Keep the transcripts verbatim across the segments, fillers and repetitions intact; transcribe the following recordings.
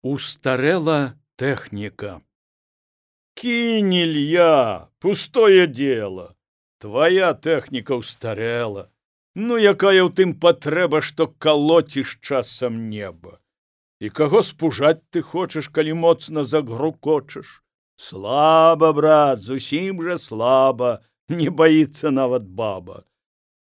Устарела техника. Кинь, Илья, пустое дело. Твоя техніка устарела. Ну, якая ў тым патрэба, што калоціш часам неба. І каго спужаць ты хочаш, калі моцна загрукочаш? Слаба, брат, зусім жа слаба, не баіцца нават баба.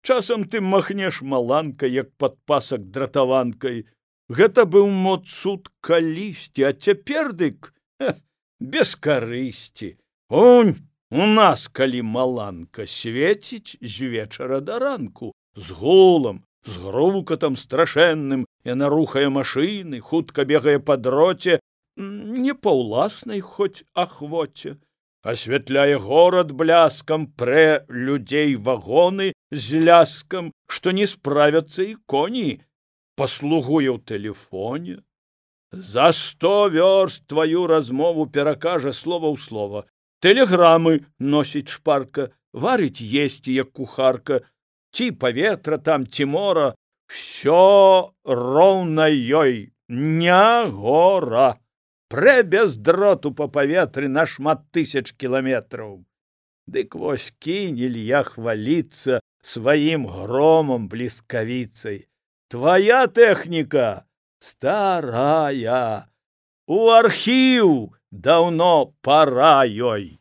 Часам ты махнеш маланкай, як падпасак дратаванкай. Гэта быў мод суд калісьці, а цяпер дык ха, без карысці. Унь, у нас, калі маланка свеціць з вечара да ранку, з гулам, з грукатам страшэнным, яна рухае машыны, хутка бегае па дроце, не па ўласнай хоць ахвоце, асвятляе горад бляскам, прэ людзей вагоны з ляскам, што не справяцца і коні, паслугуе ў тэлефоне. За сто вёрст тваю размову перакажа слова ў слова. Тэлеграмы носіць шпарка, варыць есці, як кухарка, ці паветра там, ці мора, всё роўна ёй, не гора. Прэ без дроту па паветры на шмат тысяч кіламетраў. Дык вось кінь, Ілья, хваліцца сваім громам бліскавіцай. Твоя тэхніка старая, у архіў даўно пара ёй.